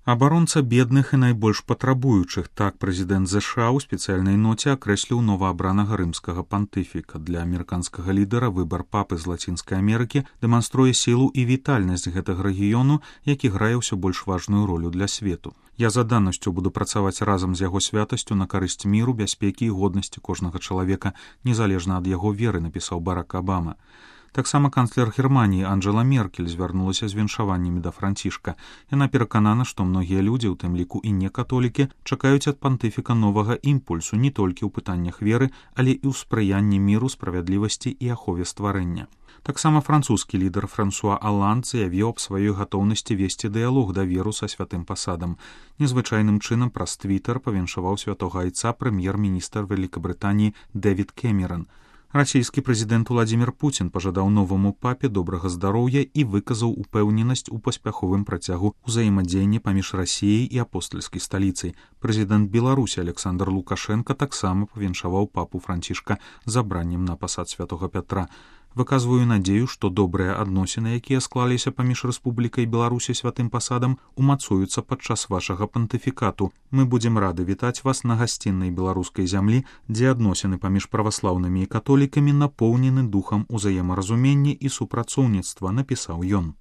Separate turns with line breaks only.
Абаронца бедных і найбольш патрабуючых, так прэзідэнт ЗША ў спецыяльнай ноце акрэсліў новаабранага рымскага пантыфіка. Для амерыканскага лідара выбар папы з Лацінскай Амерыкі дэманструе сілу і вітальнасць гэтага рэгіёну, які грае ўсё больш важную ролю для свету. Я за данасцю буду працаваць разам з яго святасцю на карысць міру, бяспекі і годнасці кожнага чалавека, незалежна ад яго веры, напісаў Барак Абама. Таксама канцлер Германіі Анджела Меркель звярнулася з віншаваннямі да Францішка. Яна пераканана, што многія людзі, у тым ліку і некатолікі, чакаюць ад пантыфіка новага імпульсу не толькі ў пытаннях веры, але і ў спрыянні міру, справядлівасці і ахове стварэння. Таксама французскі лідар Франсуа Аланд заявіў аб сваёй гатоўнасці весці дыялог даверу са святым пасадам. Незвычайным чынам праз твітар павіншаваў святога айца прэм'ер-міністр Вялікабрытаніі Дэвід Кэмеран. Расійскі прэзідэнт Уладзімір Пуцін пажадаў новаму папе добрага здароўя і выказаў упэўненасць у паспяховым працягу ўзаемадзеяння паміж Расіяй і апостальскай сталіцай. Прэзідэнт Беларусі Александр Лукашенка таксама павіншаваў папу Францішка забраннем на пасад святога Пятра. Выказваю надзею, што добрыя адносіны, якія склаліся паміж Рэспублікай Беларусі святым пасадам, умацуюцца падчас вашага пантыфікату. Мы будзем рады вітаць вас на гасціннай беларускай зямлі, дзе адносіны паміж праваслаўнымі і католікамі напоўнены духам узаемаразумення і супрацоўніцтва, напісаў ён.